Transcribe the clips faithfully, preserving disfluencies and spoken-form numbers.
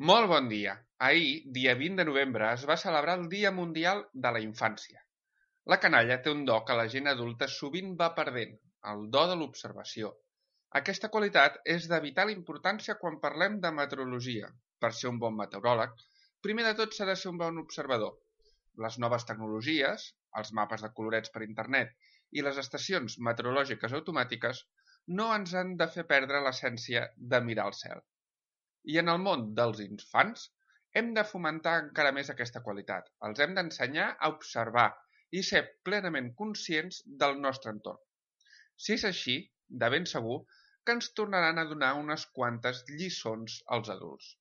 Molt bon dia. Ahir, dia vint de novembre, es va celebrar el Dia Mundial de la Infància. La canalla té un do que la gent adulta sovint va perdent, el do de l'observació. Aquesta qualitat és de vital importància quan parlem de meteorologia. Per ser un bon meteoròleg, primer de tot s'ha de ser un bon observador. Les noves tecnologies, els mapes de colorets per internet i les estacions meteorològiques automàtiques no ens han de fer perdre l'essència de mirar el cel. I en el món dels infants hem de fomentar encara més aquesta qualitat. Els hem d'ensenyar a observar i ser plenament conscients del nostre entorn. Si és així, de ben segur que ens tornaran a donar unes quantes lliçons als adults.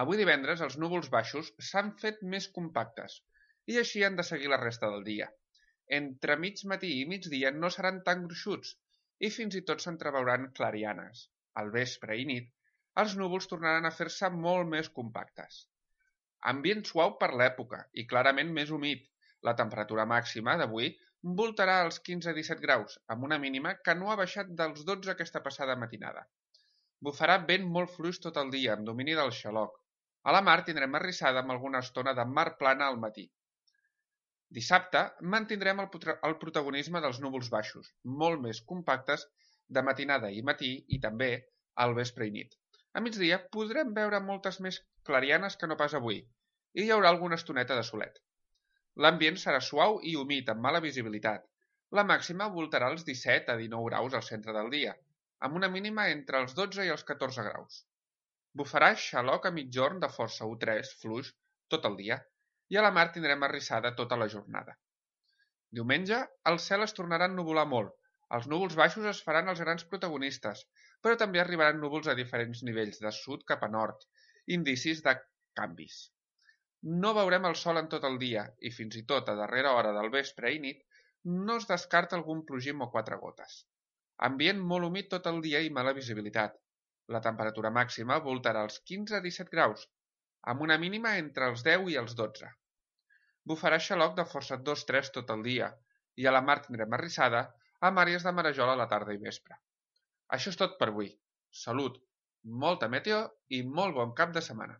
Avui divendres els núvols baixos s'han fet més compactes i així han de seguir la resta del dia. Entre mig matí i migdia no seran tan gruixuts i fins i tot s'entreveuran clarianes. Al vespre i nit els núvols tornaran a fer-se molt més compactes. Ambient suau per l'època i clarament més humit. La temperatura màxima d'avui voltarà als quinze a disset graus, amb una mínima que no ha baixat dels dotze aquesta passada matinada. Bufarà vent molt fluix tot el dia, amb domini del xaloc. A la mar tindrem arrissada amb alguna estona de mar plana al matí. Dissabte mantindrem el, el protagonisme dels núvols baixos, molt més compactes de matinada i matí i també al vespre i nit. A migdia podrem veure moltes més clarianes que no pas avui, i hi haurà alguna estoneta de solet. L'ambient serà suau i humit, amb mala visibilitat. La màxima voltarà als disset a dinou graus al centre del dia, amb una mínima entre els dotze i els catorze graus. Bufarà xaloc a mitjorn de força u tres, fluix, tot el dia, i a la mar tindrem arrissada tota la jornada. Diumenge, el cel es tornarà a ennuvolar molt. Els núvols baixos es faran els grans protagonistes, però també arribaran núvols a diferents nivells, de sud cap a nord, indicis de canvis. No veurem el sol en tot el dia i fins i tot a darrera hora del vespre i nit no es descarta algun plogim o quatre gotes. Ambient molt humit tot el dia i mala visibilitat. La temperatura màxima voltarà als quinze a disset graus, amb una mínima entre els deu i els dotze. Bufarà xaloc de força dos tres tot el dia i a la mar tindrem arrissada amb àrees de marejol a la tarda i vespre. Això és tot per avui. Salut, molta meteo i molt bon cap de setmana.